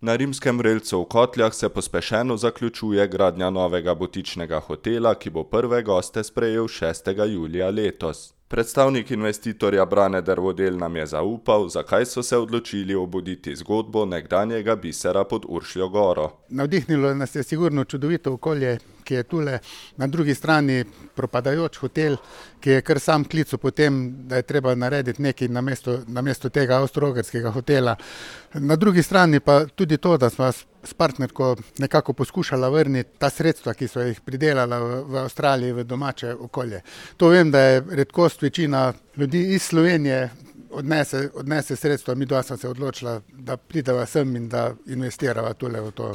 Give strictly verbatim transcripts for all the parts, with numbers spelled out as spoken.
Na Rimskem vrelcu v Kotljah se pospešeno zaključuje gradnja novega butičnega hotela, ki bo prve goste sprejel šestega julija letos. Predstavnik investitorja Brane Dervodel nam je zaupal, zakaj so se odločili obuditi zgodbo nekdanjega bisera pod Uršljo goro. Navdihnilo nas je sigurno čudovito okolje, ki je tule na drugi strani propadajoč hotel, ki je kar sam klical po tem, da je treba narediti nekaj namesto, namesto tega avstro-ogrskega hotela. Na drugi strani pa tudi to, da smo s partnerko nekako poskušala vrniti ta sredstva, ki so jih pridelala v, v Avstraliji, v domače okolje. To vem, da je redkost, večina ljudi iz Slovenije odnese, odnese sredstva, mi dva smo se odločila, da prideva sem in da investirava tule v to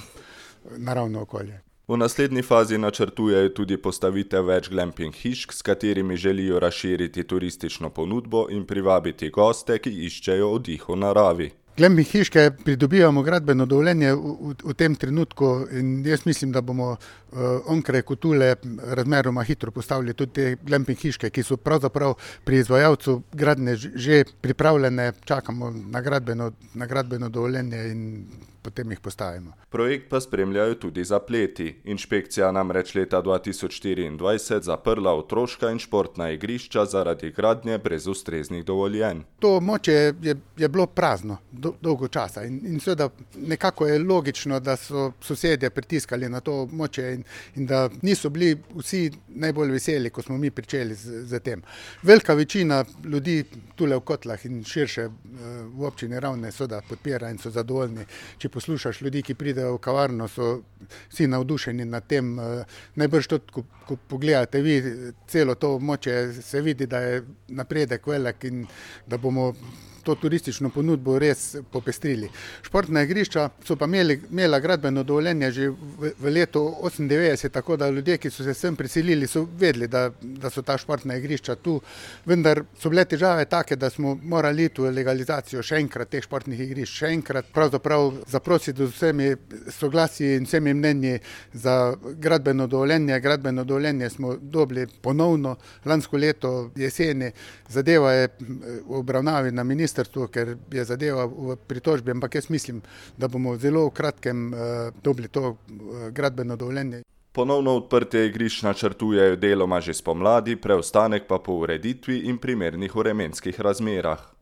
naravno okolje. V naslednji fazi načrtujejo tudi postavitev več glamping hišk, s katerimi želijo razširiti turistično ponudbo in privabiti goste, ki iščejo oddih v naravi. Glamping hiške pridobivamo gradbeno dovoljenje v, v, v tem trenutku in jaz mislim, da bomo uh, onkraj Kotule razmeroma hitro postavili tudi te glamping hiške, ki so pravzaprav pri izvajalcu gradnje že pripravljene, čakamo na gradbeno, na gradbeno dovoljenje in potem jih postavimo. Projekt pa spremljajo tudi zapleti. Inšpekcija namreč leta dva tisoč štiriindvajset zaprla otroška in športna igrišča zaradi gradnje brez ustreznih dovoljenj. To območje je, je bilo prazno do, dolgo časa in, in seveda nekako je logično, da so sosedje pritiskali na to območje in, in da niso bili vsi najbolj veseli, ko smo mi pričeli z, z tem. Velika večina ljudi tule v Kotlah in širše v občini Ravne seveda podpira in so zadovoljni. Če poslušaš ljudi, ki pridejo v kavarno, so vsi navdušeni nad tem. Najbrž tudi, ko, ko pogledate vi celo to območje, se vidi, da je napredek velik in da bomo to turistično ponudbo res popestrili. Športna igrišča so pa imeli, imela gradbeno dovoljenje že v, v letu osemindevetdeset, tako da ljudje, ki so se sem priselili, so vedeli, da, da so ta športna igrišča tu, vendar so bile težave take, da smo morali iti v legalizacijo še enkrat teh športnih igrišč, še enkrat pravzaprav zaprositi z vsemi soglasji in vsemi mnenji za gradbeno dovoljenje. Gradbeno dovoljenje smo dobili ponovno lansko leto jeseni, zadeva je v obravnavi na ministrstvu, ker je zadeva v pritožbi, ampak jaz mislim, da bomo zelo v kratkem uh, dobili to uh, gradbeno dovoljenje. Ponovno odprtje igrišč načrtujejo deloma že spomladi, preostanek pa po ureditvi in primernih vremenskih razmerah.